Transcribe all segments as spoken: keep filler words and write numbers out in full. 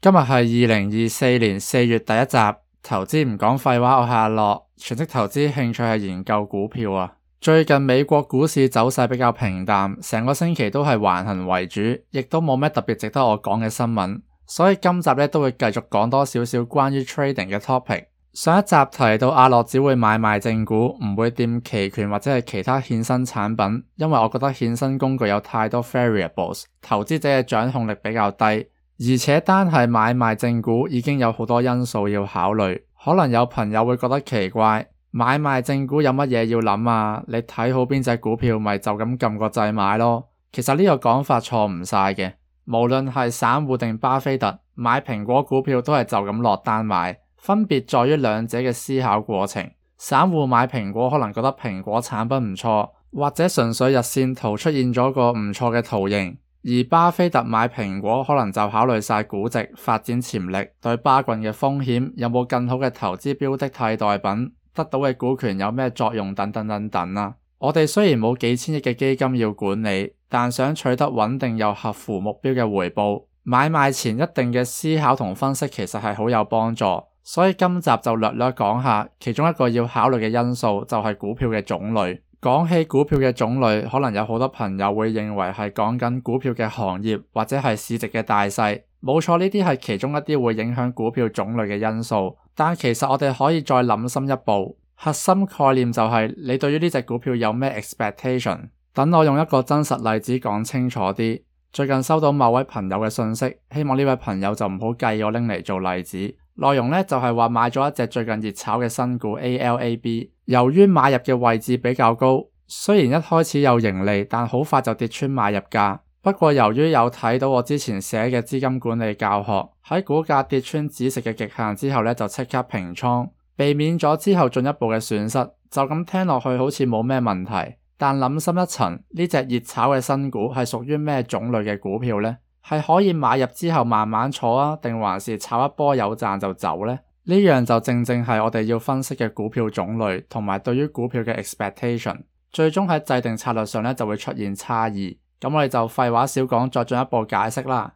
今日係二零二四年四月第一集，投資唔講廢話，我係阿樂，全職投資興趣係研究股票啊。最近美國股市走勢比較平淡，成個星期都係橫行為主，亦都冇咩特別值得我講嘅新聞，所以今集咧都會繼續講多少少關於 trading 嘅 topic。上一集提到阿樂只會買賣正股，唔會掂期權或者係其他衍生產品，因為我覺得衍生工具有太多 variables， 投資者嘅掌控力比較低，而且單係買賣正股已經有好多因素要考慮。可能有朋友會覺得奇怪，買賣正股有乜嘢要諗啊？你睇好邊隻股票咪就咁撳個掣買咯。其實呢個講法錯唔晒嘅，無論係散戶定巴菲特，買蘋果股票都係就咁落單買。分別在於兩者嘅思考過程。散戶買蘋果可能覺得蘋果產品唔錯，或者純粹日線圖出現咗個唔錯嘅圖形，而巴菲特買蘋果可能就考慮晒估值、發展潛力、對巴郡嘅風險、有冇更好嘅投資標的替代品、得到嘅股權有咩作用等等等等啦。我哋雖然冇幾千億嘅基金要管理，但想取得穩定又合乎目標嘅回報，買賣前一定嘅思考同分析其實係好有幫助。所以今集就略略講下，其中一個要考慮嘅因素就係股票嘅種類。講起股票嘅種類，可能有好多朋友會認為係講緊股票嘅行業或者係市值嘅大細。冇錯，呢啲係其中一啲會影響股票種類嘅因素。但其實我哋可以再諗深一步，核心概念就係你對於呢隻股票有咩 expectation。等我用一個真實例子講清楚啲。最近收到某位朋友嘅信息，希望呢位朋友就唔好介意我拎嚟做例子。內容呢就係話買咗一隻最近熱炒嘅新股 A L A B， 由於買入嘅位置比較高，雖然一開始有盈利，但好快就跌穿買入價。不過由於有睇到我之前寫嘅資金管理教學，喺股價跌穿止蝕嘅極限之後呢，就即刻平倉，避免咗之後進一步嘅損失。就咁聽落去好似冇咩問題，但諗深一層，呢隻熱炒嘅新股係屬於咩種類嘅股票呢？係可以買入之後慢慢坐啊，定還是炒一波有賺就走呢？呢樣就正正係我哋要分析嘅股票種類同埋對於股票嘅 expectation， 最終喺制定策略上呢就會出現差異。咁我哋就廢話少講，再進一步解釋啦。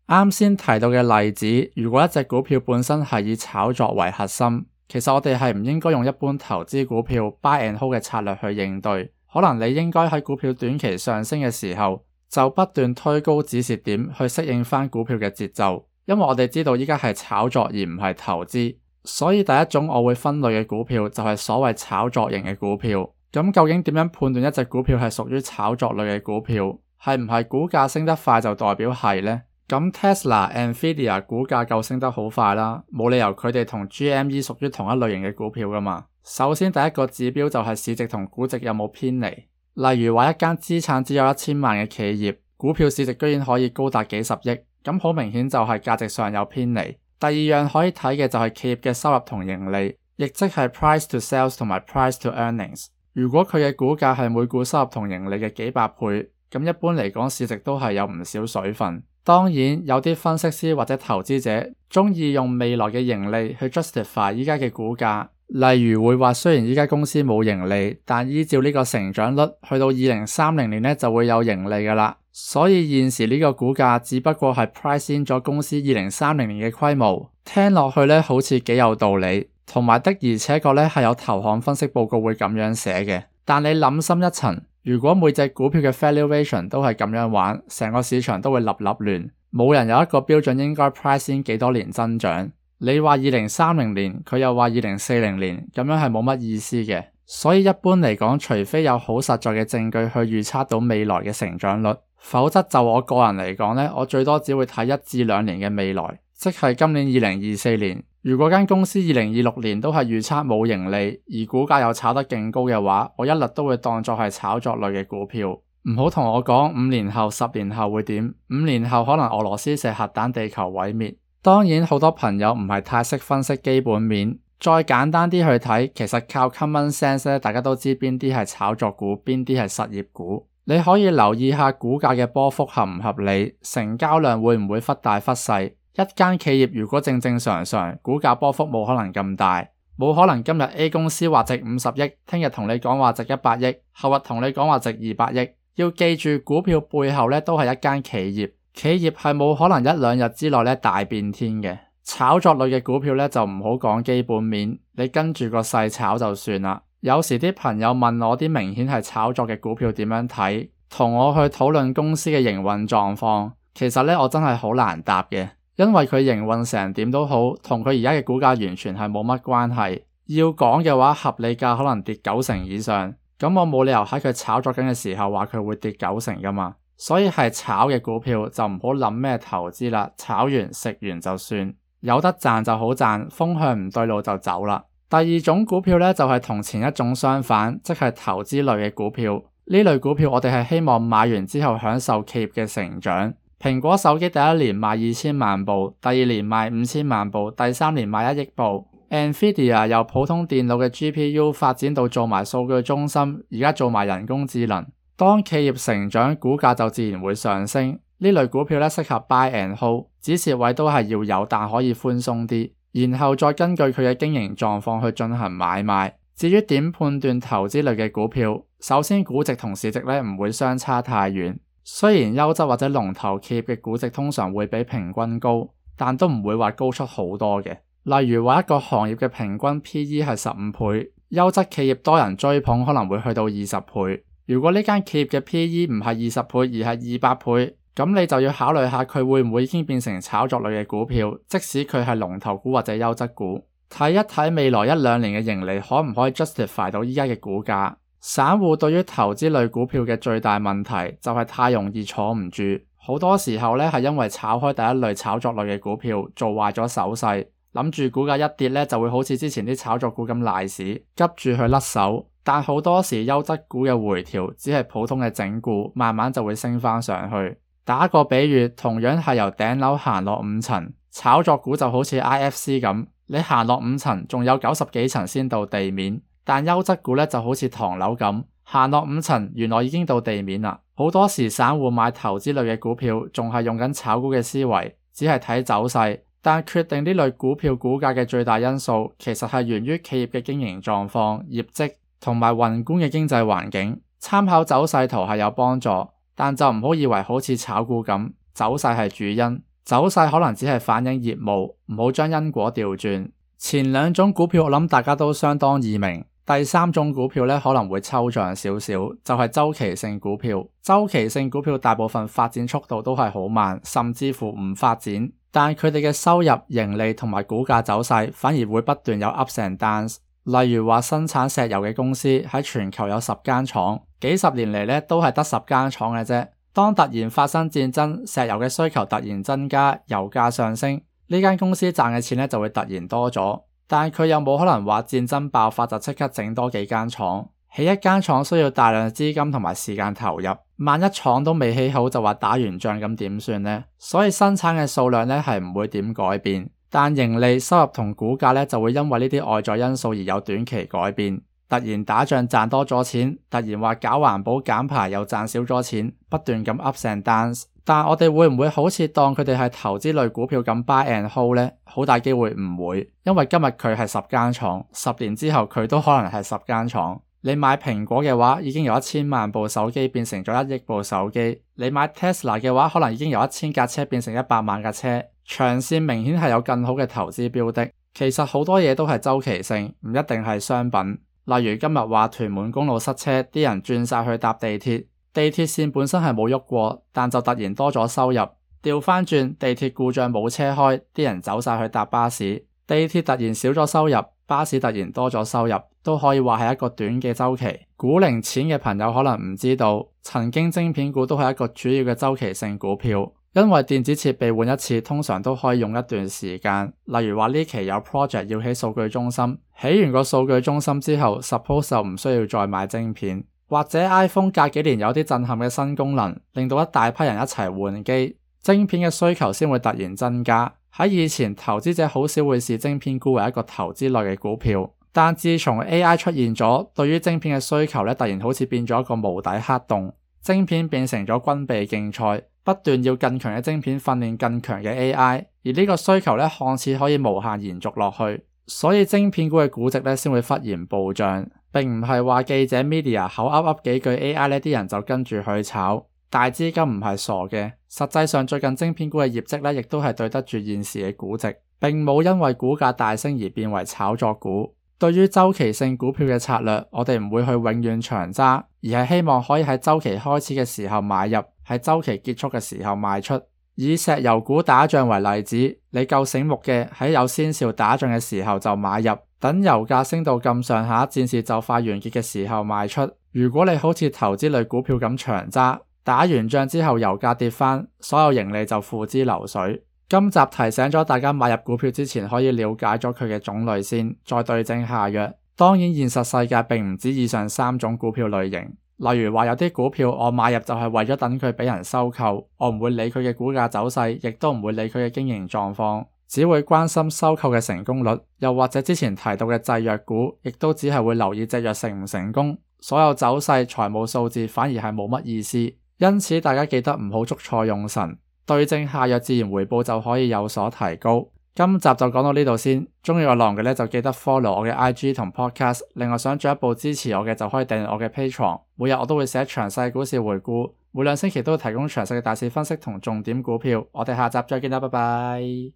啱先提到嘅例子，如果一隻股票本身係以炒作為核心，其實我哋係唔應該用一般投資股票 buy and hold 嘅策略去應對。可能你應該喺股票短期上升嘅時候，就不斷推高止蝕點去適應翻股票嘅節奏。因為我哋知道依家係炒作而唔係投資，所以第一種我會分類嘅股票就係所謂炒作型嘅股票。咁究竟點樣判斷一隻股票係屬於炒作類嘅股票？係唔係股價升得快就代表係呢？咁 Tesla、Nvidia 股價夠升得好快啦，冇理由佢哋同 G M E 屬於同一類型嘅股票噶嘛。首先第一個指標就係市值同估值有冇偏離。例如話一間資產只有一千萬嘅企業，股票市值居然可以高達幾十億，咁好明顯就係價值上有偏離。第二樣可以睇嘅就係企業嘅收入同盈利，亦即係 price to sales 同埋 price to earnings。如果佢嘅股價係每股收入同盈利嘅幾百倍，咁一般嚟講市值都係有唔少水分。當然有啲分析師或者投資者中意用未來嘅盈利去 justify 依家嘅股價，例如會話雖然依家公司冇盈利，但依照呢個成長率去到二零三零年呢就會有盈利噶啦，所以現時呢個股價只不過係 price in 咗公司二零三零年嘅規模。聽落去呢好似幾有道理，同埋的而且確呢係有投行分析報告會咁樣寫嘅。但你諗深一層，如果每隻股票嘅 valuation 都係咁樣玩，成個市場都會立立亂，冇人有一個標準應該 price in 幾多年增長。你話二零三零年，佢又話二零四零年，咁樣係冇乜意思嘅。所以一般嚟講，除非有好實在嘅證據去預測到未來嘅成長率，否則就我個人嚟講呢，我最多只會睇一至兩年嘅未來，即係今年二零二四年。如果間公司二零二六年都係預測冇盈利，而股價又炒得勁高嘅話，我一律都會當作係炒作類嘅股票。唔好同我講五年後、十年後會點，五年後可能俄羅斯射核彈地球毀滅。當然好多朋友唔係太識分析基本面，再簡單啲去睇，其實靠 common sense 咧，大家都知邊啲係炒作股，邊啲係實業股。你可以留意下股價嘅波幅合唔合理，成交量會唔會忽大忽細。一間企業如果正正常常，股價波幅冇可能咁大。冇可能今日 A 公司話值五十億，聽日同你講話值一百億，後日同你講話值二百億。要記住，股票背後咧都係一間企業，企業係冇可能一兩日之內咧大變天嘅。炒作類嘅股票咧就唔好講基本面，你跟住個勢炒就算啦。有時啲朋友問我啲明顯係炒作嘅股票點樣睇，同我去討論公司嘅營運狀況，其實咧我真係好難答嘅，因為佢營運成點都好，同佢而家嘅股價完全係冇乜關係。要講嘅話，合理價可能跌九成以上，咁我冇理由喺佢炒作緊嘅時候話佢會跌九成噶嘛。所以係炒嘅股票就唔好諗咩投資啦，炒完食完就算，有得賺就好賺，風向唔對路就走啦。第二種股票咧就係同前一種相反，即係投資類嘅股票。呢類股票我哋係希望買完之後享受企業嘅成長。蘋果手機第一年賣二千萬部，第二年賣五千萬部，第三年賣一億部。Nvidia 由普通電腦嘅 G P U 發展到做埋數據中心，而家做埋人工智能。當企業成長，股價就自然會上升。呢類股票咧適合 buy and hold， 止蝕位都係要有，但可以寬鬆啲，然後再根據佢嘅經營狀況去進行買賣。至於點判斷投資類嘅股票，首先估值同市值咧唔會相差太遠。雖然優質或者龍頭企業嘅估值通常會比平均高，但都唔會話高出好多嘅。例如話一個行業嘅平均 P E 係十五倍，優質企業多人追捧可能會去到二十倍。如果呢間企業嘅 P E 唔係二十倍而係二百倍，咁你就要考慮下佢會唔會已經變成炒作類嘅股票，即使佢係龍頭股或者優質股。睇一睇未來一兩年嘅盈利可唔可以 justify 到依家嘅股價。散戶對於投資類股票嘅最大問題就係太容易坐唔住，好多時候咧係因為炒開第一類炒作類嘅股票做壞咗手勢，諗住股價一跌咧就會好似之前啲炒作股咁賴屎，急住去甩手。但好多時優質股嘅回調只係普通嘅整固，慢慢就會升翻上去。打個比喻，同樣係由頂樓行落五層，炒作股就好似 I F C 咁，你行落五層仲有九十幾層先到地面。但優質股咧就好似唐樓咁，行落五層原來已經到地面啦。好多時散戶買投資類嘅股票仲係用緊炒股嘅思維，只係睇走勢，但決定呢類股票股價嘅最大因素其實係源於企業嘅經營狀況、業績同埋宏觀嘅經濟環境。參考走勢圖係有幫助，但就唔好以為好似炒股咁，走勢係主因，走勢可能只係反映業務，唔好將因果調轉。前兩種股票我諗大家都相當易明。第三種股票咧可能會抽象少少，就係周期性股票。周期性股票大部分發展速度都係好慢，甚至乎唔發展，但佢哋嘅收入、盈利同埋股價走勢反而會不斷有 ups and downs。例如話生產石油嘅公司喺全球有十間廠，幾十年嚟咧都係得十間廠嘅啫。當突然發生戰爭，石油嘅需求突然增加，油價上升，呢間公司賺嘅錢咧就會突然多咗。但佢又冇可能話戰爭爆發就即刻整多幾間廠，起一間廠需要大量資金同埋時間投入，萬一廠都未起好就話打完仗咁點算呢？所以生產嘅數量咧係唔會點改變，但盈利、收入同股價咧就會因為呢啲外在因素而有短期改變。突然打仗賺多咗錢，突然話搞環保減排又賺少咗錢，不斷咁 ups and downs。但我哋會唔會好似當佢哋係投資類股票咁 buy and hold 呢？好大機會唔會，因為今日佢係十間廠，十年之後佢都可能係十間廠。你買蘋果嘅話，已經由一千萬部手機變成咗一億部手機；你買 Tesla 嘅話，可能已經由一千架車變成一百萬架車。長線明顯係有更好嘅投資標的。其實好多嘢都係周期性，唔一定係商品。例如今日話屯門公路塞車，啲人轉晒去搭地鐵。地鐵線本身係冇喐過，但就突然多咗收入。調翻轉，地鐵故障冇車開，啲人走晒去搭巴士。地鐵突然少咗收入，巴士突然多咗收入，都可以話係一個短嘅周期。股齡淺嘅朋友可能唔知道，曾經晶片股都係一個主要嘅周期性股票，因為電子設備換一次通常都可以用一段時間。例如話呢期有 project 要起數據中心，起完個數據中心之後 suppose 就唔需要再買晶片。或者 iPhone 隔幾年有啲震撼嘅新功能，令到一大批人一齊換機，晶片嘅需求先會突然增加。喺以前，投資者好少會視晶片股為一個投資類嘅股票，但自從 A I 出現咗，對於晶片嘅需求咧突然好似變咗一個無底黑洞，晶片變成咗軍備競賽，不斷要更強嘅晶片訓練更強嘅 A I， 而呢個需求咧看似可以無限延續落去。所以晶片股嘅估值咧先會忽然暴漲，並唔係話記者 media 口噏噏幾句 A I 呢啲人就跟住去炒。大資金唔係傻嘅，實際上最近晶片股嘅業績咧亦都係對得住現時嘅估值，並冇因為股價大升而變為炒作股。對於週期性股票嘅策略，我哋唔會去永遠長揸，而係希望可以喺週期開始嘅時候買入，喺週期結束嘅時候賣出。以石油股打仗為例子，你夠醒目嘅喺有先兆打仗嘅時候就買入，等油價升到咁上下，戰事就快完結嘅時候賣出。如果你好似投資類股票咁長揸，打完仗之後油價跌返，所有盈利就付之流水。今集提醒咗大家買入股票之前可以了解咗佢嘅種類先，再對症下藥。當然現實世界並唔止以上三種股票類型，例如話有啲股票我買入就係為咗等佢俾人收購，我唔會理佢嘅股價走勢，亦都唔會理佢嘅經營狀況，只會關心收購嘅成功率。又或者之前提到嘅製藥股，亦都只係會留意隻藥成唔成功，所有走勢、財務數字反而係冇乜意思。因此大家記得唔好捉錯用神，對症下藥，自然回報就可以有所提高。今集就講到呢度先，鍾意我浪嘅咧就記得 follow 我嘅 I G 同 podcast， 另外想進一步支持我嘅就可以訂閱我嘅 Patreon， 每日我都會寫詳細股市回顧，每兩星期都會提供詳細嘅大市分析同重點股票。我哋下集再見啦，拜拜。